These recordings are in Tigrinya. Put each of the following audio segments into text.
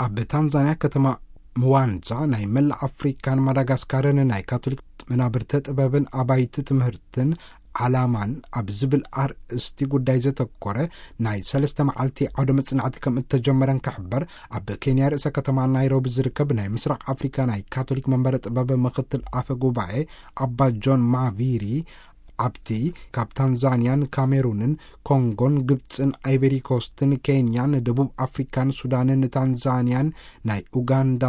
ኣብ ታንዛንያ ከተማ ምዋንዛ ናይ መላእ ኣፍሪካን ማዳጋስካርን ናይ ካቶሊክ መናብርተ ጥበብን ኣባይቲ ትምህርትን ዓላማን ኣብ ዝብል ኣርእስቲ ጉዳይ ዘተኮረ ናይ ሰለስተ መዓልቲ ዓውደ መጽናዕቲ ከም እተጀመረን ክሕበር፣ ኣብ ኬንያ ርእሰ ከተማ ናይሮቢ ዝርከብ ናይ ምስራቅ ኣፍሪካ ናይ ካቶሊክ መንበረ ጥበብ ምክትል ኣፈ ጉባኤ ኣባ ጆን ማቪሪ ኣብቲ ካብ ታንዛንያን ካሜሩንን ኮንጎን ግብፅን ኣይቨሪኮስትን ኬንያን ደቡብ ኣፍሪካን ሱዳንን ታንዛንያን ናይ ኡጋንዳ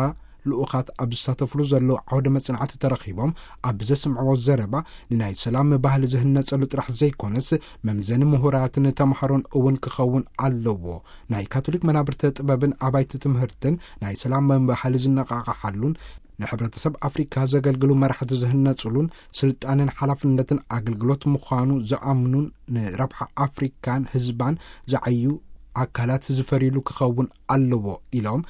ልኡኻት ኣብ ዝሳተፍሉ ዘለዉ ዓውደ መጽናዕቲ ተረኺቦም ኣብ ዘስምዕዎ ዘረባ፣ ንናይ ሰላም ባህሊ ዝህነጸሉ ጥራሕ ዘይኮነስ መምዘኒ ምሁራትን ተምሃሮን እውን ክኸውን ኣለዎ። ናይ ካቶሊክ መናብርተ ጥበብን ኣባይቲ ትምህርትን ናይ ሰላም ባህሊ ዝነቓቕሓሉን ንሕብረተሰብ ኣፍሪካ ዘገልግሉ መራሕቲ ዝህነጽሉን ስልጣንን ሓላፍነትን ኣገልግሎት ምዃኑ ዝኣምኑን ንረብሓ ኣፍሪካን ህዝባን ዝዓዩ ኣካላት ዝፈርዩሉ ክኸውን ኣለዎ ኢሎም፣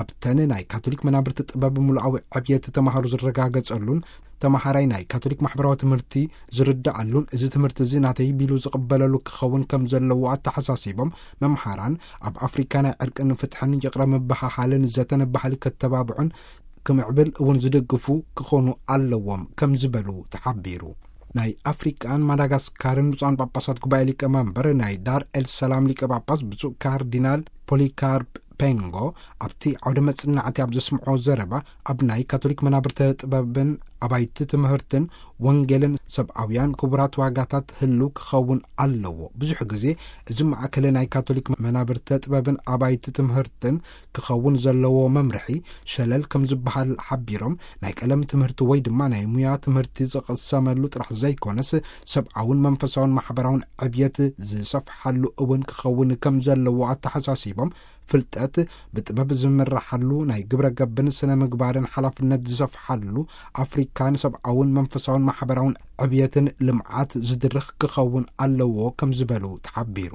ኣብተን ናይ ካቶሊክ መናብርቲ ጥበብ ምሉኣዊ ዕብየት ተምሃሮ ዝረጋገጸሉን ተምሃራይ ናይ ካቶሊክ ማሕበራዊ ትምህርቲ ዝርድኣሉን፣ እዚ ትምህርቲ እዚ ናተይ ቢሉ ዝቕበለሉ ክኸውን ከም ዘለዎ ኣተሓሳሲቦም፣ መምሃራን ኣብ ኣፍሪካ ናይ ዕርቅን ፍትሕን ይቕረ ምብሃሃልን ዘተን ባህሊ ከተባብዑን ክምዕብል እውን ዝድግፉ ክኾኑ ኣለዎም ከም ዝበሉ ተሓቢሩ። ናይ ኣፍሪቃን ማዳጋስካርን ብፁዓን ጳጳሳት ጉባኤ ሊቀ መንበር ናይ ዳር ኤል ሰላም ሊቀ ጳጳስ ብፁዕ ካርዲናል ፖሊካርፕ ፔንጎ ኣብቲ ዓውደ መጽናዕቲ ኣብ ዘስምዖ ዘረባ፣ ኣብ ናይ ካቶሊክ መናብርተ ጥበብን ኣባይቲ ትምህርትን ወንጌልን ሰብኣውያን ክቡራት ዋጋታት ህልው ክኸውን ኣለዎ። ብዙሕ ግዜ እዚ ማዕከል ናይ ካቶሊክ መናብርተ ጥበብን ኣባይቲ ትምህርትን ክኸውን ዘለዎ መምርሒ ሸለል ከም ዝበሃል ሓቢሮም፣ ናይ ቀለም ትምህርቲ ወይ ድማ ናይ ሙያ ትምህርቲ ዝቕሰመሉ ጥራሕ ዘይኮነስ፣ ሰብኣውን መንፈሳውን ማሕበራውን ዕብየት ዝሰፍሓሉ እውን ክኸውን ከም ዘለዎ ኣተሓሳሲቦም፣ ፍልጠት ብጥበብ ዝምረሓሉ፣ ናይ ግብረ ገብን ስነ ምግባርን ሓላፍነት ዝሰፍሓሉ ኣፍሪካ ንሰብኣውን መንፈሳውን ማሕበራውን ዕብየትን ልምዓት ዝድርኽ ክኸውን ኣለዎ ከም ዝበሉ ተሓቢሩ።